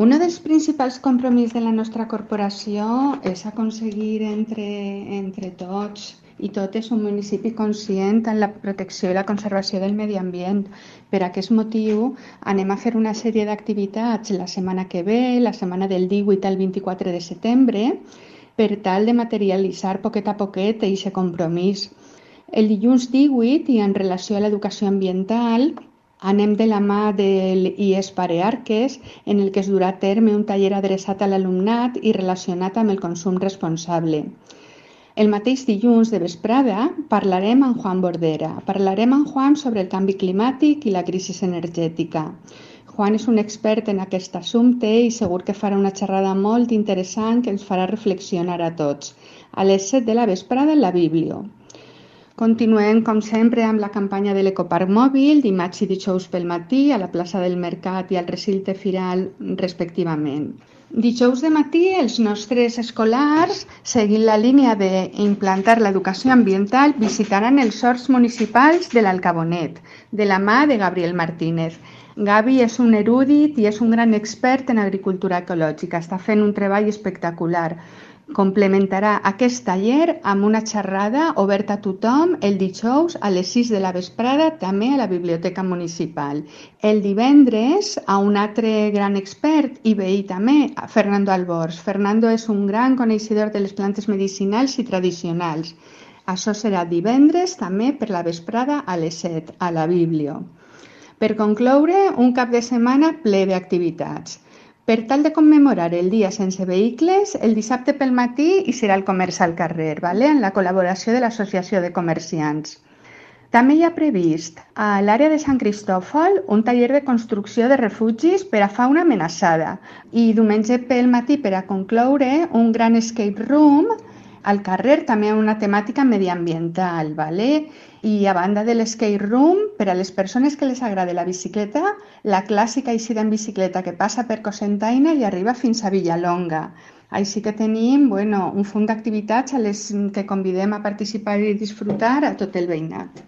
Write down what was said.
Un dels principals compromisos de la nostra corporació és aconseguir entre tots i totes un municipi conscient en la protecció i la conservació del medi ambient. Per aquest motiu anem a fer una sèrie d'activitats la setmana que ve, la setmana del 18 al 24 de setembre, per tal de materialitzar poquet a poquet aquest compromís. El dilluns 18, i en relació a l'educació ambiental, anem de la mà del IES Parearques, en el que es durà a terme un taller adreçat a l'alumnat i relacionat amb el consum responsable. El mateix dilluns de vesprada parlarem amb Juan Bordera. Parlarem amb Juan sobre el canvi climàtic i la crisi energètica. Juan és un expert en aquest assumpte i segur que farà una xerrada molt interessant que ens farà reflexionar a tots. A les 7 de la vesprada en la Biblio. Continuem, com sempre, amb la campanya de l'Ecoparc Mòbil, dimarts i dijous pel matí, a la plaça del Mercat i al recinte firal, respectivament. Dijous de matí, els nostres escolars, seguint la línia d'implantar l'educació ambiental, visitaran els horts municipals de l'Alcabonet, de la mà de Gabriel Martínez. Gavi és un erudit i és un gran expert en agricultura ecològica. Està fent un treball espectacular. Complementarà aquest taller amb una xerrada oberta a tothom el dijous a les 6 de la vesprada, també a la Biblioteca Municipal. El divendres, a un altre gran expert i veí també, a Fernando Albors. Fernando és un gran coneixedor de les plantes medicinals i tradicionals. Això serà divendres també per la vesprada a les 7, a la Biblio. Per concloure, un cap de setmana ple d'activitats. Per tal de commemorar el dia sense vehicles, el dissabte pel matí hi serà el comerç al carrer, en la col·laboració de l'Associació de Comerciants. També hi ha previst a l'àrea de Sant Cristòfol un taller de construcció de refugis per a fauna amenaçada i diumenge pel matí, per a concloure, un gran escape room al carrer, també amb una temàtica mediambiental. I a banda de l'escape room, per a les persones que les agrada la bicicleta, la clàssica eixida en bicicleta que passa per Cocentaina i arriba fins a Villalonga. Així que tenim un munt d'activitats a les que convidem a participar i disfrutar a tot el veïnat.